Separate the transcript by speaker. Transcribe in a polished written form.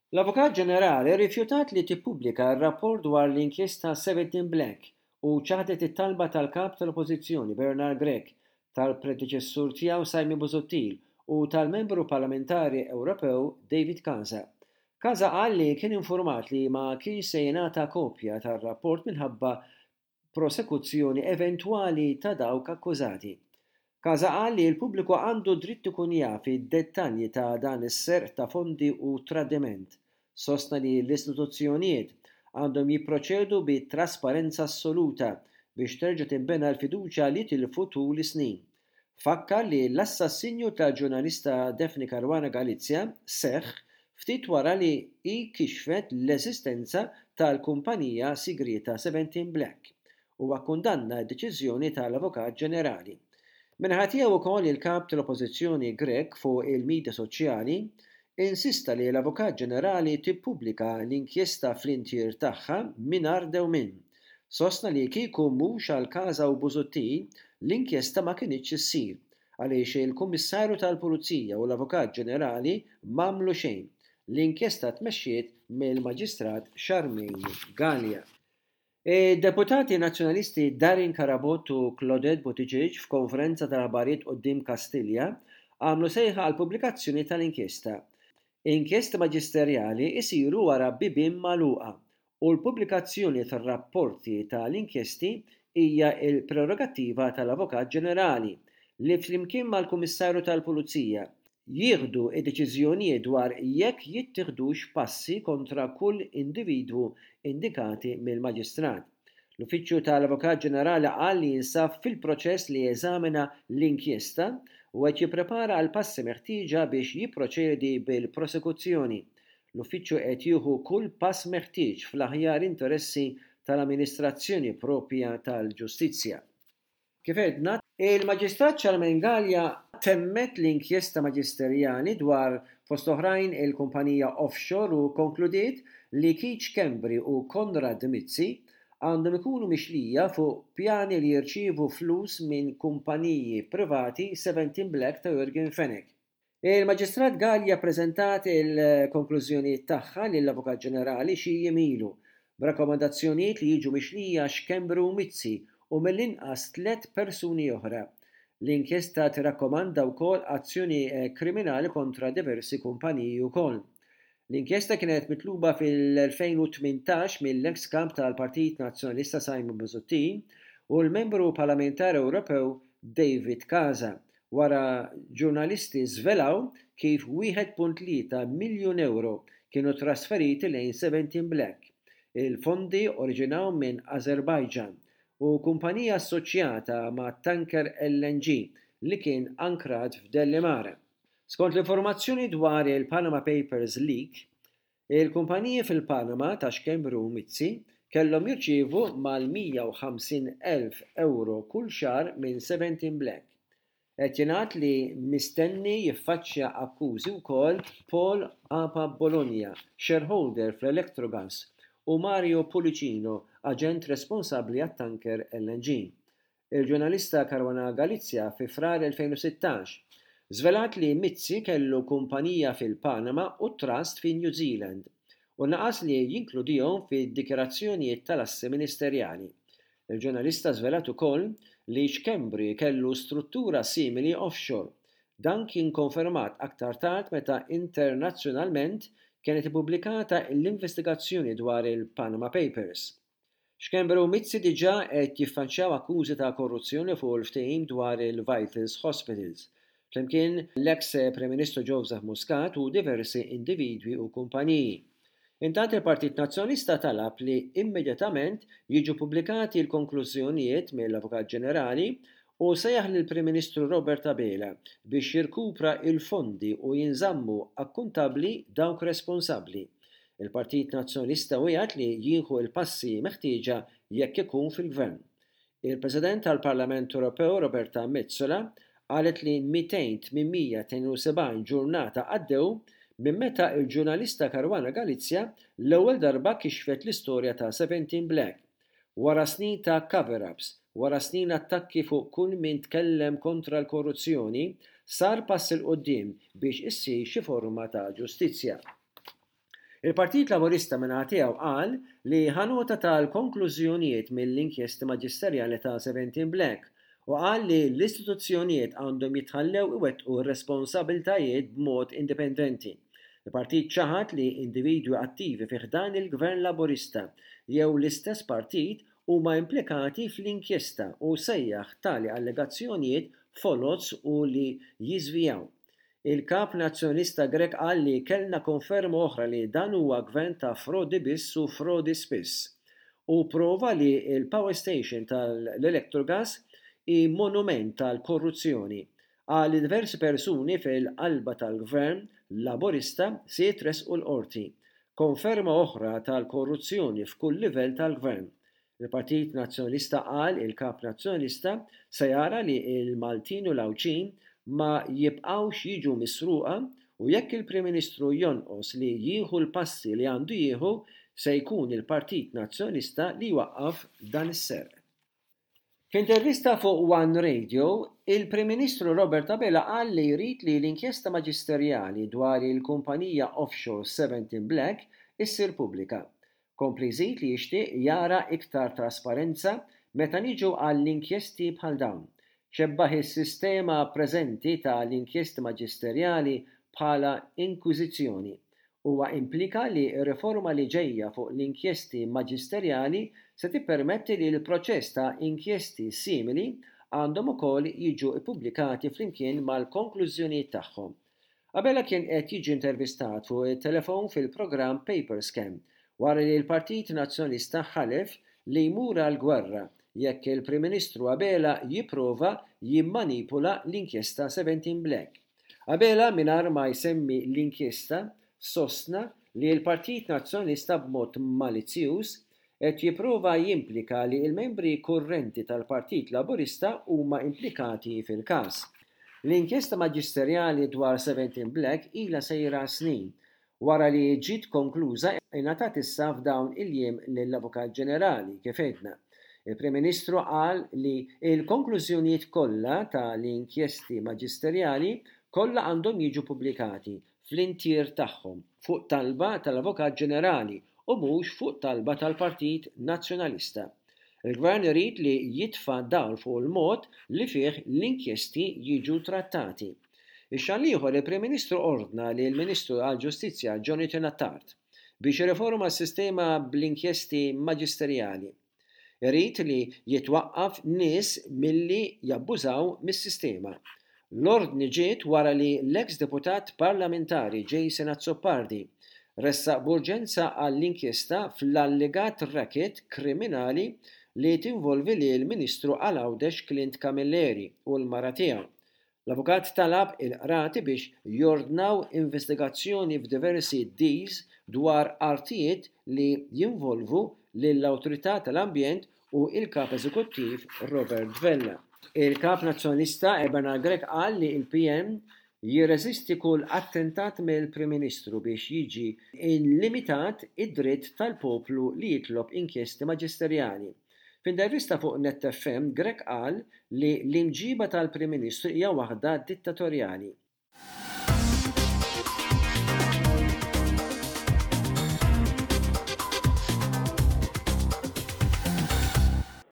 Speaker 1: L-Avukat Ġenerali rrifjutat li tippubblika r-rapport dwar l-inkjesta 17 Black u ċaħdet it-talba tal-Kap tal-Oppożizzjoni Bernard Grech, tal-predeċessur tiegħu Simon Busuttil u tal-Membru Parlamentari Ewropew David Casa. Casa qal li kien infurmat li ma kienx se jingħata kopja tar-rapport minħabba prosekuzzjoni eventwali ta' dawk akkużati. Casa qal li l-pubbliku għandu dritt ikun jaf id-dettalji ta' dan is-serq ta' fondi u tradiment. Sostna li l-istituzzjonijiet għandhom jipproċedu bi trasparenza assoluta biex terġa' tinbena l-fiduċja li tilfu tul is-snin. Fakkar li l-assassinju tal-ġurnalista Daphne Caruana Galizia seħħ ftit wara li hi kixfet l-eżistenza tal-kumpanija sigrieta Seventeen Black. Huwa kkundanna d-deċiżjoni tal-Avukat Ġenerali. Min-naħa tiegħu wkoll il-Kap tal-Oppożizzjoni Grech fuq il-midja soċjali insista li l-Avukat Ġenerali tippubblika l-inkjesta fl-intier tagħha mingħajr dewmien. Sostna li kieku mhux għal Casa u Busuttil, l-inkjesta ma kinitx issir, għaliex il-Kummissarju tal-Pulizija u l-Avukat Ġenerali m'għamlu xejn. L-inkjesta tmexxiet mill-Maġistrat Charmaine Galea. Id-Deputati Nazzjonalisti Darren Carabott u Claudette Buttigieg f'konferenza tal-aħbarijiet quddiem Kastilja għamlu sejħa għall-pubblikazzjoni tal-inkjesta. Inkjesti maġisterjali jsiru wara bibien magħluqa u l-pubblikazzjoni tar-rapporti ta' l-inkjesti hija l-prerogattiva tal-Avukat Ġenerali li flimkien mal-Kummissarju tal-Pulizija jieħdu d-deċiżjonijiet dwar jekk jittieħdux passi kontra kull individwu indikati mill-Maġistrat. L-Uffiċċju tal-Avukat Ġenerali qal li jinsab fil-proċess li jeżamina l-inkjesta u qed jipprepara għall-passi meħtieġa biex jipproċedi bil-prosekuzzjoni. L-Uffiċċju qed jieħu kull pass meħtieġ fl-aħjar interessi tal-amministrazzjoni proprja tal-ġustizzja. Kif għedna, il-Maġistrat Charmaine Galea temmet l-inkjesta maġisterjali dwar, fost oħrajn, il-kumpanija offshore u kkonkludiet li Keith Schembri u Konrad Mizzi għandhom ikunu mixlija fuq pjani li jirċievu flus minn kumpaniji privati 17 Black ta' Yorgen Fenech. Il-Maġistrat Galea ppreżentat il-konklużjonijiet tagħha lill-Avukat Ġenerali xi jiem ilu, b'rakkomandazzjonijiet li jiġu mixlija Schembri u Mizzi u mill-inqas tlett persuni oħra. L-inkjesta tirrakkomanda wkoll azzjoni kriminali kontra diversi kumpaniji wkoll. L-inkjesta kienet mitluba fil-2018 mill-eks Kap tal-Partit Nazzjonalista Simon Busuttil u l-Membru Parlamentari Ewropew David Casa wara ġurnalisti żvelaw kif 1.3 miljun ewro kienu trasferiti lejn Seventeen Black. Il-fondi oriġinaw minn Azerbaijan u kumpanija assoċjata ma' tanker LNG li kien ankrat f'Delimara. Skont l-informazzjoni dwar il-Panama Papers leak, il-kumpaniji fil-Panama ta' Schembri u Mizzi kellhom jirċievu mal-150,000 ewro kull xahar minn Seventeen Black. Qed jingħad li mistenni jiffaċċja akkużi wkoll Paul Apap Bologna, shareholder fl-Electrogas, u Mario Pullicino, aġent responsabbli għat-tanker LNG. Il-ġurnalista Caruana Galizia fi Frar 2016 żvelat li Mizzi kellu kumpanija fil-Panama u trust fi New Zealand u naqas li jinkludihom fid-dikjarazzjonijiet tal-assi ministerjali. Il-ġurnalista żvelat ukoll li Schembri kellu struttura simili offshore. Dan kien konfermat aktar tard meta internazzjonalment kienet ippubblikata l-investigazzjoni dwar il-Panama Papers. Schembri u Mizzi diġà qed jiffaċċjaw akkużi ta' korruzzjoni fuq il-ftehim dwar il-Vitals Hospitals, flimkien l-eks Prim Ministru Joseph Muscat u diversi individwi u kumpaniji. Intant il-Partit Nazzjonalista talab li immedjatament jiġu ppubblikati l-konklużjonijiet mill-Avukat Ġenerali u sejjaħ lill-Prim Ministru Robert Abela biex jirkupra l-fondi u jinżammu akkuntabbli dawk responsabbli. Il-Partit Nazzjonalista wiegħed li jieħu l-passi meħtieġa jekk ikun fil-Gvern. Il-President tal-Parlament Ewropew Roberta Metsola qalet li 200 872 ġurnata għaddew minn meta l-ġurnalista Caruana Galizia l-ewwel darba kixfet l-istorja ta' Seventeen Black. Wara snin ta' cover-ups, wara snin attakki fuq kull min tkellem kontra l-korruzzjoni, sar pass 'il quddiem biex issir xi forma ta' ġustizzja. Il-Partit Laburista min-naħa tiegħu qal li ħa nota tal-konklużjonijiet mill-inkjesti maġisterjali ta' Seventeen Black u qal li l-istituzzjonijiet għandhom jitħallew iwettqu r-responsabiltajiet b'mod indipendenti. Il-partit ċaħad li individwi attivi fi ħdan il-Gvern Laburista jew l-istess partit huma implikati fl-inkjesta u sejjaħ tali allegazzjonijiet foloz u li jiżvijaw. Il-Kap Nazzjonalista Grech qal li kellna konferma oħra li dan huwa Gvern ta' frodi biss u frodi spiss. Hu prova li l-power station tal-Electrogas hi monument tal-korruzzjoni. Qal li diversi persuni fil-qalba tal-Gvern Laburista se jitressqu l-Qorti. Konferma oħra tal-korruzzjoni f'kull livell tal-Gvern. Il-Partit Nazzjonalista qal il-Kap Nazzjonalista se jara li l-Maltin u l-Għawdxin ma jibqgħux jiġu misruqa u jekk il-Prim Ministru jonqos li jieħu l-passi li għandu jieħu se jkun il-Partit Nazzjonalista li jwaqqaf dan is-serq. F'intervista fuq One Radio, il-Prim Ministru Robert Abela qal li jrid li l-inkjesta maġisterjali dwar il-kumpanija offshore Seventeen Black issir pubblika. Kompli jżid li jixtieq jara iktar trasparenza meta niġu għall-inkjesti bħal dawn. Xebbaħ is-sistema preżenti ta' l-inkjesti maġisterjali bħala inkwiżizzjoni. Huwa implika li r-riforma li ġejja fuq l-inkjesti maġisterjali se tippermetti li l-proċess ta' inkjesti simili għandhom ukoll jiġu ppubblikati flimkien mal-konklużjonijiet tagħhom. Abela kien qed jiġi intervistat fuq it-telefon fil-programm Paper Scam wara li l-Partit Nazzjonalista ħalef li jmur għall-gwerra jekk il-Prim Ministru Abela jipprova jimmanipula l-inkjesta 17 Black. Abela mingħajr ma jsemmi l-inkjesta sostna li l-Partit Nazzjonalista b'mod malizzjuż qed jipprova jimplika li l-membri kurrenti tal-Partit Laburista huma implikati fil-każ. L-inkjesta maġisterjali dwar Seventeen Black ilha sejra snin. Wara li ġiet konkluża ingħatat issa f'dawn il-jiem lill-Avukat Ġenerali, kif għedna. Il-Prim Ministru qal li l-konklużjonijiet kollha ta' l-inkjesti maġisterjali kollha għandhom jiġu pubblikati fl-intier tagħhom fuq talba tal-Avukat Ġenerali u mhux fuq talba tal-Partit Nazzjonalista. Il-Gvern irid li jitfa' dawl fuq il-mod li fih l-inkjesti jiġu trattati. Ix-xahar l-ieħor il-Prim Ministru ordna lill-Ministru għall-Ġustizzja Jonathan Attard biex jirriforma s-sistema bl-inkjesti maġisterjali. Irid li jitwaqqaf nies milli jabbużaw mis-sistema. L-ordni ġiet wara li l-eks deputat parlamentari Jason Azzopardi ressaq b'urġenza għall-inkjesta fl-allegat racket kriminali li tinvolvi lill-Ministru għal Għawdex Clint Camilleri u l-mara tiegħu. L-avukat talab il-qrati biex jordnaw investigazzjoni f'diversi deals dwar artijiet li jinvolvu lill-Awtorità tal-Ambjent u l-Kap Eżekuttiv Robert Vella. Il-Kap Nazzjonalista Bernard Grech qal li l-PN jirreżisti kull attentat mill-Prim Ministru biex jiġi limitat id-dritt tal-poplu li jitlob inkjesti maġisterjali. F'intervista fuq Net FM, Grech qal li l-imġiba tal-Prim Ministru hija waħda dittatorjali.